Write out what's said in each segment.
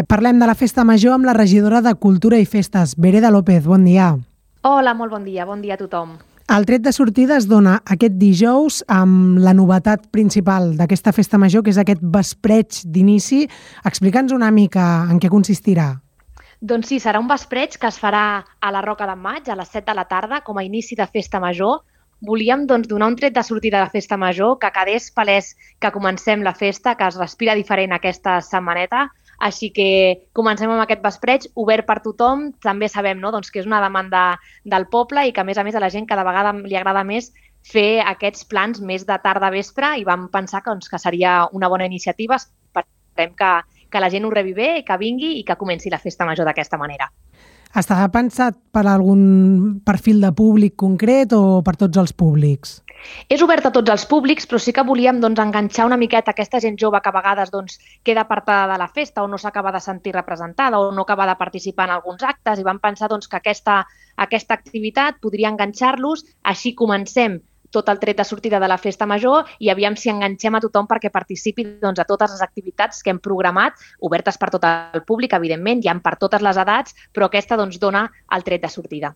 Parlem de la Festa Major amb la regidora de Cultura i Festes, Vereda López. Bon dia. Hola, molt bon dia a tothom. El tret de sortida es dona aquest dijous amb la novetat principal d'aquesta Festa Major, que és aquest vespreig d'inici. Explica'ns una mica en què consistirà. Doncs sí, serà un vespreig que es farà a la Roca d'en Maig a les 7 de la tarda com a inici de Festa Major. Volíem donar un tret de sortida de Festa Major, que quedés palès que comencem la festa, que es respira diferent aquesta setmaneta. Així que comencem amb aquest vespreig obert per tothom. També sabem que és una demanda del poble i que, a més a la gent cada vegada li agrada més fer aquests plans més de tarda-vespre i vam pensar que seria una bona iniciativa. Esperem que la gent ho rebi bé, que vingui i que comenci la Festa Major d'aquesta manera. Està pensat per algun perfil de públic concret o per tots els públics? És obert a tots els públics, però sí que volíem enganxar una miqueta aquesta gent jove que a vegades queda apartada de la festa o no s'acaba de sentir representada o no acaba de participar en alguns actes, i vam pensar que aquesta activitat podria enganxar-los. Així comencem tot el tret de sortida de la Festa Major i aviam si enganxem a tothom perquè participi a totes les activitats que hem programat, obertes per tot el públic, evidentment, hi ha per totes les edats, però aquesta dona el tret de sortida.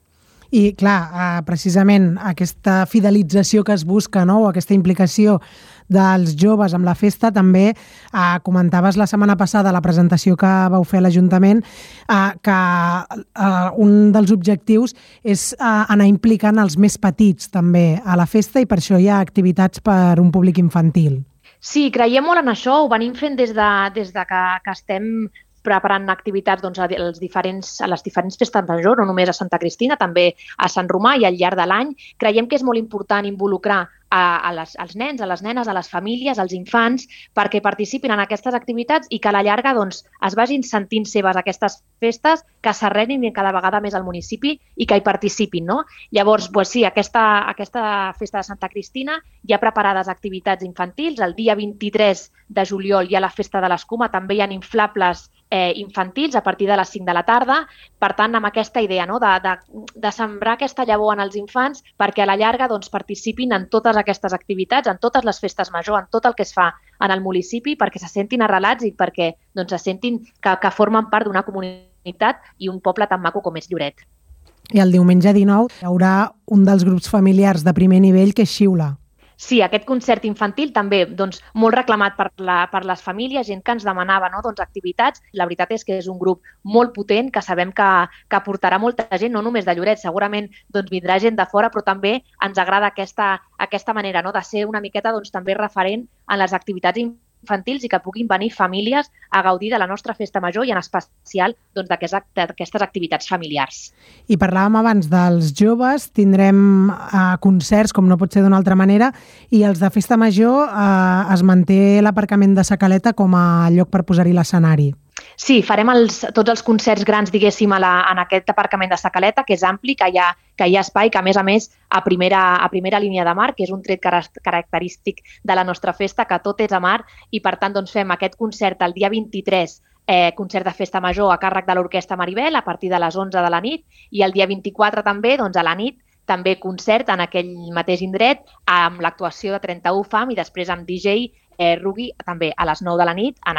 I, clar, precisament aquesta fidelització que es busca, o aquesta implicació dels joves amb la festa, també comentaves la setmana passada a la presentació que vau fer a l'Ajuntament que un dels objectius és anar implicant els més petits també a la festa i per això hi ha activitats per un públic infantil. Sí, creiem molt en això, ho venim fent des de que estem preparant activitats a les diferents festes majors, no només a Santa Cristina, també a Sant Romà i al llarg de l'any. Creiem que és molt important involucrar als nens, a les nenes, a les famílies, als infants, perquè participin en aquestes activitats i que a la llarga es vagin sentint seves aquestes festes, que s'arrelin cada vegada més al municipi i que hi participin. Llavors, sí, aquesta festa de Santa Cristina hi ha preparades activitats infantils. El dia 23 de juliol hi ha la festa de l'Escuma, també hi ha inflables infantils a partir de les 5 de la tarda. Per tant, amb aquesta idea de sembrar aquesta llavor en els infants perquè a la llarga participin en totes aquestes activitats, en totes les festes major, en tot el que es fa en el municipi, perquè se sentin arrelats i perquè se sentin que formen part d'una comunitat i un poble tan maco com és Lloret. I el diumenge 19 hi haurà un dels grups familiars de primer nivell que és Xiula. Sí, aquest concert infantil també molt reclamat per les famílies, gent que ens demanava activitats. La veritat és que és un grup molt potent, que sabem que portarà molta gent, no només de Lloret, segurament vindrà gent de fora, però també ens agrada aquesta manera de ser una miqueta també referent en les activitats infantils i que puguin venir famílies a gaudir de la nostra Festa Major i en especial d'aquestes activitats familiars. I parlàvem abans dels joves, tindrem concerts, com no pot ser d'una altra manera, i els de Festa Major es manté l'aparcament de Sa Caleta com a lloc per posar-hi l'escenari. Sí, farem tots els concerts grans, diguéssim, en aquest aparcament de Sa Caleta, que és ampli, que hi ha espai, que a més, a primera línia de mar, que és un tret característic de la nostra festa, que tot és a mar, i per tant fem aquest concert el dia 23, concert de Festa Major a càrrec de l'Orquestra Maribel a partir de les 11 de la nit, i el dia 24 també, a la nit, també concert en aquell mateix indret amb l'actuació de 31 FAM i després amb DJ Rugui també a les 9 de la nit en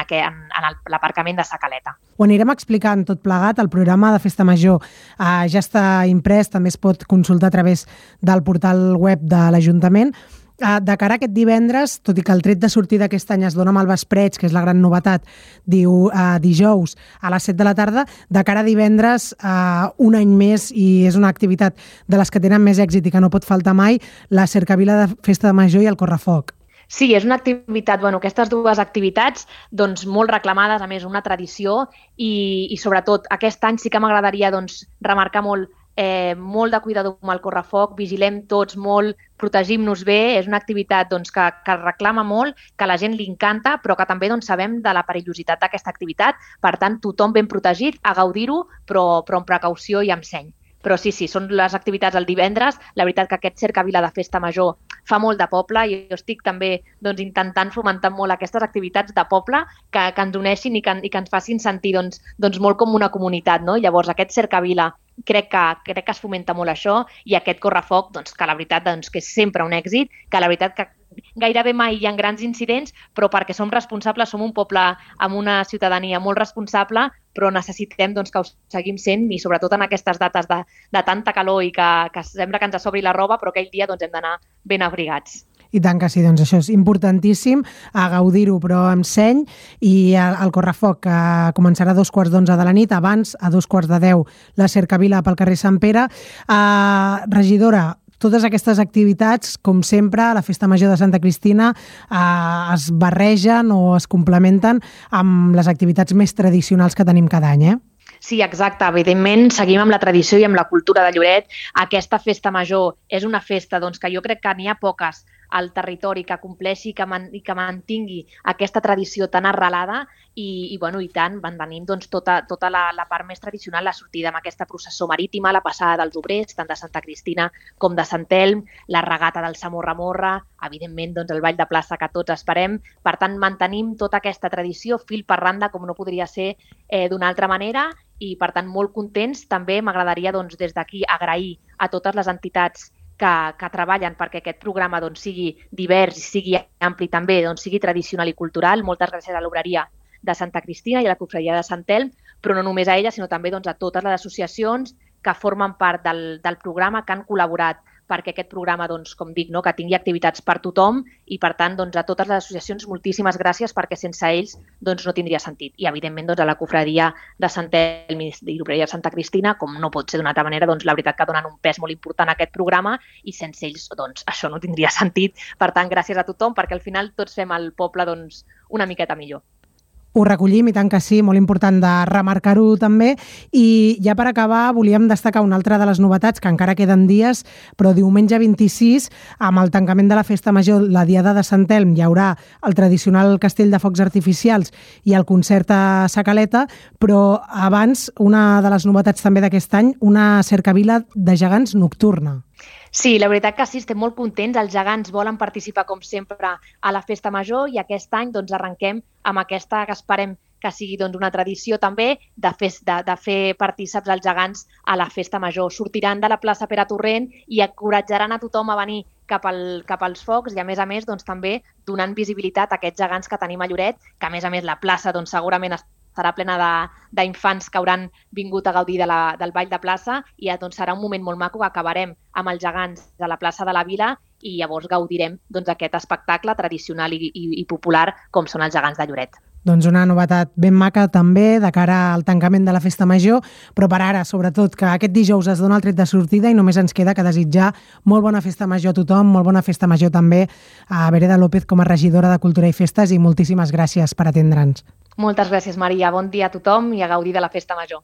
l'aparcament de Sa Caleta. Ho anirem explicant tot plegat. El programa de Festa Major ja està imprès, també es pot consultar a través del portal web de l'Ajuntament. De cara a aquest divendres, tot i que el tret de sortida aquest any es dona amb el vespreig, que és la gran novetat, dijous a les 7 de la tarda, de cara a divendres, un any més, i és una activitat de les que tenen més èxit i que no pot faltar mai, la cercavila de Festa Major i el correfoc. Sí, és una activitat, aquestes dues activitats molt reclamades, a més una tradició i sobretot aquest any sí que m'agradaria remarcar molt de cuidador amb el correfoc, vigilem tots molt, protegim-nos bé, és una activitat que reclama molt, que a la gent li encanta, però que també sabem de la perillositat d'aquesta activitat, per tant tothom ben protegit, a gaudir-ho, però amb precaució i amb seny. Però sí, són les activitats el divendres. La veritat que aquest cercavila de Festa Major fa molt de poble i jo estic també intentant fomentar molt aquestes activitats de poble que ens uneixin i que ens facin sentir molt com una comunitat. Llavors aquest cercavila crec que es fomenta molt això, i aquest correfoc, doncs, que la veritat doncs, que és sempre un èxit, que la veritat que gairebé mai hi ha grans incidents, però perquè som responsables, som un poble amb una ciutadania molt responsable, però necessitem doncs, que ho seguim sent, i sobretot en aquestes dates de tanta calor i que sembla que ens sobri la roba, però aquell dia doncs, hem d'anar ben abrigats. I tant que sí, doncs això és importantíssim, a gaudir-ho, però amb seny, i el correfoc que començarà a 2:15 de la nit, abans, a 2:45, la cercavila pel carrer Sant Pere. Regidora, totes aquestes activitats, com sempre, a la Festa Major de Santa Cristina es barregen o es complementen amb les activitats més tradicionals que tenim cada any, Sí, exacte. Evidentment, seguim amb la tradició i amb la cultura de Lloret. Aquesta festa major és una festa doncs, que jo crec que n'hi ha poques al territori que compleixi i que mantingui aquesta tradició tan arrelada, i tant, mantenim doncs, tota la part més tradicional, la sortida amb aquesta processó marítima, la passada dels obrers, tant de Santa Cristina com de Sant Elm, la regata del Samorra-Morra, evidentment doncs, el ball de plaça que tots esperem. Per tant, mantenim tota aquesta tradició fil per randa, com no podria ser d'una altra manera, i per tant molt contents. També m'agradaria doncs, des d'aquí agrair a totes les entitats que treballen perquè aquest programa doncs, sigui divers i sigui ampli també, doncs, sigui tradicional i cultural. Moltes gràcies a l'Obreria de Santa Cristina i a la Cofradia de Sant Elm, però no només a ella, sinó també doncs, a totes les associacions que formen part del programa, que han col·laborat perquè aquest programa, doncs, com dic, que tingui activitats per tothom, i per tant doncs, a totes les associacions moltíssimes gràcies, perquè sense ells doncs, no tindria sentit. I evidentment doncs, a la Cofradia de Sant Elm i l'Obreria de Santa Cristina, com no pot ser d'una altra manera, doncs, la veritat que donen un pes molt important a aquest programa, i sense ells doncs, això no tindria sentit. Per tant, gràcies a tothom, perquè al final tots fem el poble doncs, una miqueta millor. Ho recollim, i tant que sí, molt important de remarcar-ho també. I ja per acabar volíem destacar una altra de les novetats, que encara queden dies, però diumenge 26, amb el tancament de la Festa Major, la Diada de Sant Elm, hi haurà el tradicional castell de focs artificials i el concert a Sa Caleta, però abans, una de les novetats també d'aquest any, una cercavila de gegants nocturna. Sí, la veritat que sí, estem molt contents. Els gegants volen participar, com sempre, a la Festa Major, i aquest any doncs, arrenquem amb aquesta que esperem que sigui doncs, una tradició també de fer partíceps els gegants a la Festa Major. Sortiran de la plaça Pere Torrent i encoratjaran a tothom a venir cap als focs, i a més doncs, també donant visibilitat a aquests gegants que tenim a Lloret, que a més la plaça doncs, segurament estarà plena d'infants que hauran vingut a gaudir del ball de plaça, i doncs, serà un moment molt maco que acabarem amb els gegants de la plaça de la Vila, i llavors gaudirem doncs, aquest espectacle tradicional i popular com són els gegants de Lloret. Doncs una novetat ben maca també de cara al tancament de la Festa Major, però per ara, sobretot, que aquest dijous es dona el tret de sortida i només ens queda que desitjar molt bona Festa Major a tothom, molt bona Festa Major també a Vereda López com a regidora de Cultura i Festes, i moltíssimes gràcies per atendre'ns. Moltes gràcies, Maria. Bon dia a tothom i a gaudir de la Festa Major.